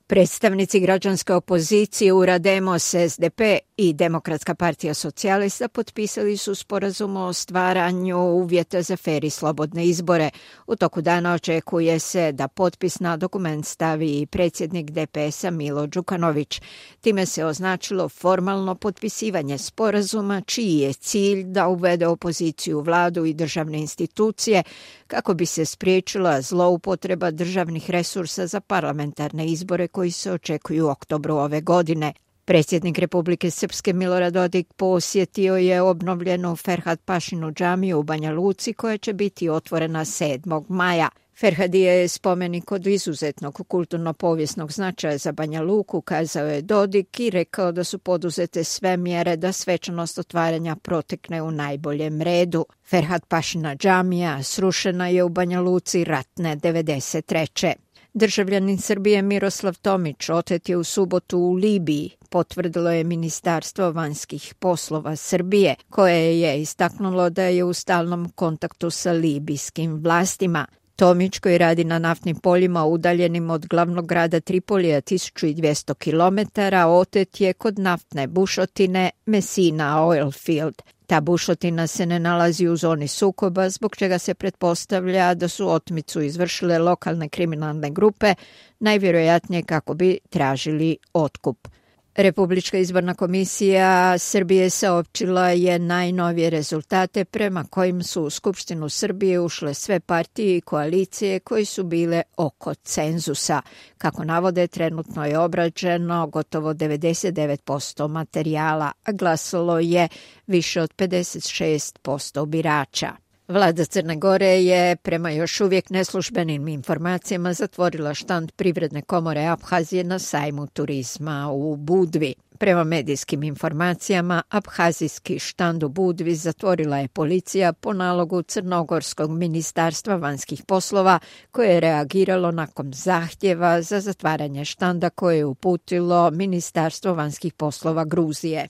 Predstavnici građanske opozicije URA Demos, SDP i Demokratska partija socijalista potpisali su sporazum o stvaranju uvjeta za fer i slobodne izbore. U toku dana očekuje se da potpis na dokument stavi i predsjednik DPS-a Milo Đukanović. Time se označilo formalno potpisivanje sporazuma čiji je cilj da uvede opoziciju u vladu i državne institucije kako bi se spriječila zloupotreba državnih resursa za parlamentarne izbore koji se očekuju u oktobru ove godine. Predsjednik Republike Srpske Milorad Dodik posjetio je obnovljenu Ferhat Pašinu džamiju u Banja Luci koja će biti otvorena 7. maja. Ferhadija je spomenik od izuzetnog kulturno-povijesnog značaja za Banja Luku, kazao je Dodik i rekao da su poduzete sve mjere da svečanost otvaranja protekne u najboljem redu. Ferhat Pašina džamija srušena je u Banja Luci ratne 93. Državljanin Srbije Miroslav Tomić otet je u subotu u Libiji, potvrdilo je Ministarstvo vanjskih poslova Srbije, koje je istaknulo da je u stalnom kontaktu sa libijskim vlastima. Tomić, koji radi na naftnim poljima udaljenim od glavnog grada Tripolija 1200 km, otet je kod naftne bušotine Messina Oilfield. Ta bušotina se ne nalazi u zoni sukoba, zbog čega se pretpostavlja da su otmicu izvršile lokalne kriminalne grupe, najvjerojatnije kako bi tražili otkup. Republička izborna komisija Srbije saopćila je najnovije rezultate prema kojim su u Skupštinu Srbije ušle sve partije i koalicije koji su bile oko cenzusa. Kako navode, trenutno je obrađeno gotovo 99% materijala, a glasalo je više od 56% birača. Vlada Crne Gore je, prema još uvijek neslužbenim informacijama, zatvorila štand Privredne komore Abhazije na sajmu turizma u Budvi. Prema medijskim informacijama, abhazijski štand u Budvi zatvorila je policija po nalogu Crnogorskog ministarstva vanjskih poslova, koje je reagiralo nakon zahtjeva za zatvaranje štanda koje je uputilo Ministarstvo vanjskih poslova Gruzije.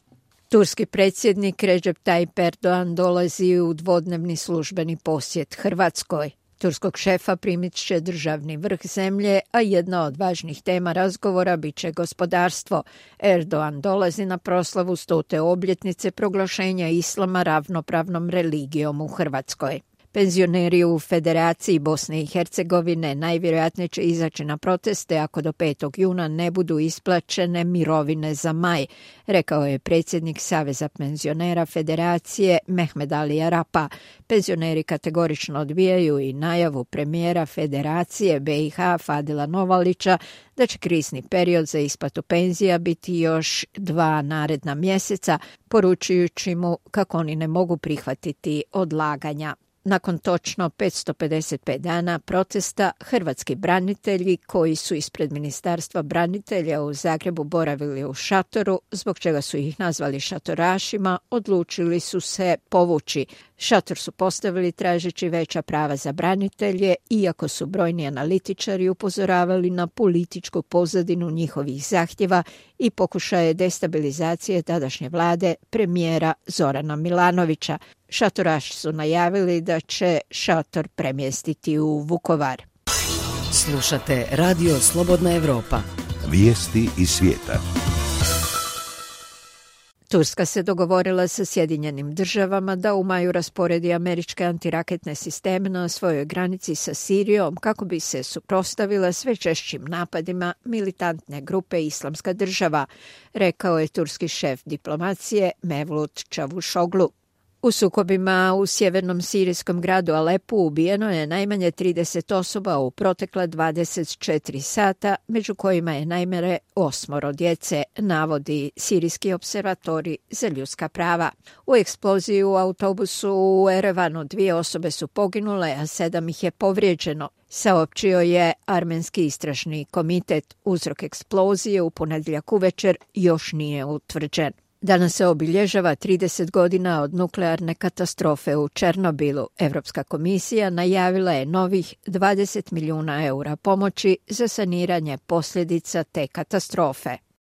Turski predsjednik Recep Tayyip Erdogan dolazi u dvodnevni službeni posjet Hrvatskoj. Turskog šefa primit će državni vrh zemlje, a jedna od važnih tema razgovora bit će gospodarstvo. Erdogan dolazi na proslavu 100. obljetnice proglašenja islama ravnopravnom religijom u Hrvatskoj. Penzioneri u Federaciji Bosne i Hercegovine najvjerojatnije će izaći na proteste ako do 5. juna ne budu isplaćene mirovine za maj, rekao je predsjednik Saveza penzionera Federacije Mehmed Ali Arapa. Penzioneri kategorično odbijaju i najavu premijera Federacije BiH Fadila Novalića da će krizni period za isplatu penzija biti još 2 naredna mjeseca, poručujući mu kako oni ne mogu prihvatiti odlaganja. Nakon točno 555 dana protesta, hrvatski branitelji koji su ispred Ministarstva branitelja u Zagrebu boravili u šatoru, zbog čega su ih nazvali šatorašima, odlučili su se povući. Šator su postavili tražeći veća prava za branitelje, iako su brojni analitičari upozoravali na političku pozadinu njihovih zahtjeva i pokušaje destabilizacije tadašnje vlade premijera Zorana Milanovića. Šatoraši su najavili da će šator premjestiti u Vukovar. Slušate Radio Slobodna Evropa. Vijesti iz svijeta. Turska se dogovorila sa Sjedinjenim državama da u maju rasporedi američke antiraketne sisteme na svojoj granici sa Sirijom kako bi se suprotstavila sve češćim napadima militantne grupe Islamska država, rekao je turski šef diplomacije Mevlut Čavuşoglu. U sukobima u sjevernom sirijskom gradu Alepu ubijeno je najmanje 30 osoba u protekla 24 sata, među kojima je najmanje 8 djece, navodi Sirijski observatori za ljudska prava. U eksploziji u autobusu u Erevanu 2 osobe su poginule, a 7 ih je povrijeđeno, saopćio je Armenski istražni komitet. Uzrok eksplozije u ponedjeljak uvečer još nije utvrđen. Danas se obilježava 30 godina od nuklearne katastrofe u Černobilu. Europska komisija najavila je novih 20 milijuna eura pomoći za saniranje posljedica te katastrofe.